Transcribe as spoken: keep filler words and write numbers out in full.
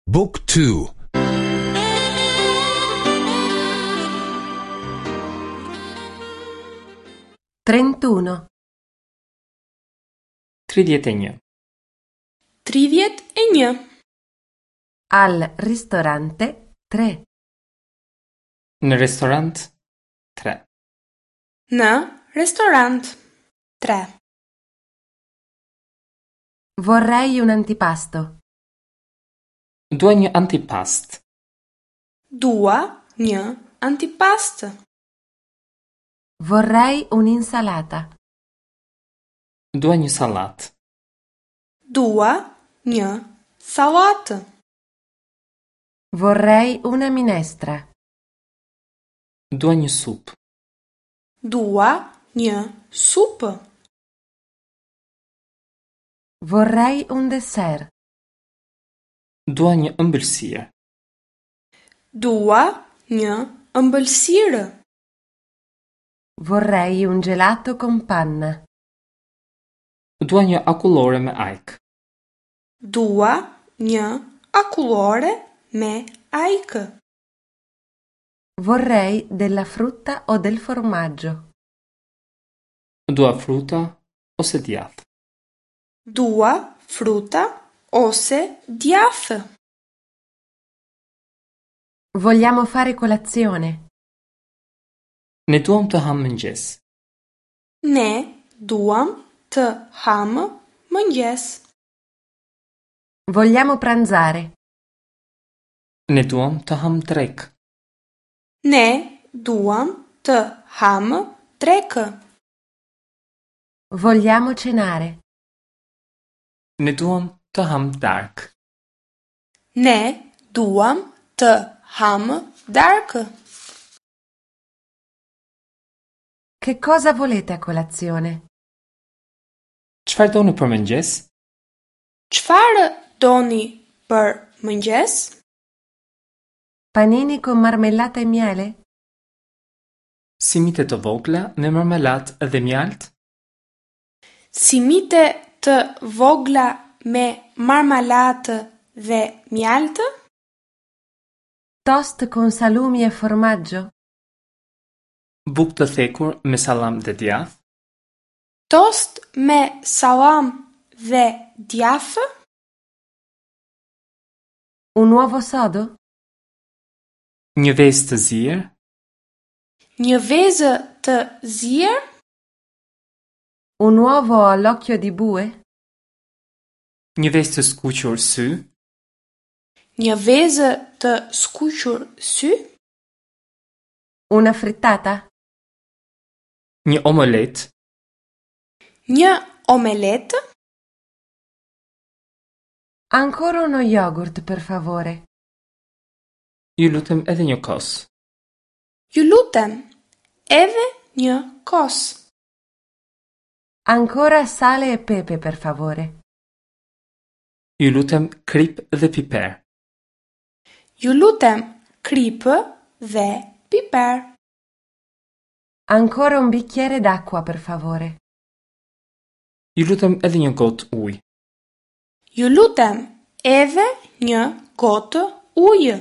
Book two. Trentuno. Tridhjetë e një. Tridhjetë e një. Al ristorante tre. Në restorant tre. Në restorant tre. Vorrei un antipasto. Dua një antipast. Dua një antipast. Vorrei un'insalata. Dua një sallatë. Dua një sallatë. Vorrei una minestra. Dua një supë. Dua një supë. Vorrei un dessert. Dua një ëmbëlsirë. Dua një ëmbëlsirë. Vorrei un gelato con panna. Dua një akullore me ajkë. Dua një akullore me ajkë. Vorrei della frutta o del formaggio. Dua fruta ose djathë. Dua fruta ose djathë. Vogliamo fare colazione. Ne duam të hamë mëngjes. Ne duam të hamë mëngjes. Vogliamo pranzare. Ne duam të hamë drekë. Ne duam të hamë drekë. Vogliamo cenare. Ne duam të hamë darkë. Ne duam të hamë darkë. Che cosa volete a colazione? Çfarë doni për mëngjes? Çfarë doni për mëngjes? Panini con marmellata e miele? Simite të vogla me marmelatë dhe mjaltë? Simite të vogla me marmelatë dhe mjaltë? Toast con salumi e formaggio? Bukë të thekur me sallam dhe djathë? Tost me sallam dhe djathë? Un uovo sodo? Një vezë të zier? Një vezë të zier? Un uovo all'occhio di bue? Një vezë të skuqur sy? Një vezë të skuqur sy? Una frittata? Një omelet? Një omelet? Ancora uno yogurt, per favore. Ju lutem edhe një kos. Ju lutem, edhe një kos. Ancora sale e pepe, per favore. Ju lutem krip dhe piper. Ju lutem, kripë dhe piper. Ancora un bicchiere d'acqua, per favore. Ju lutem edhe një gotë ujë. Ju lutem, edhe një gotë ujë.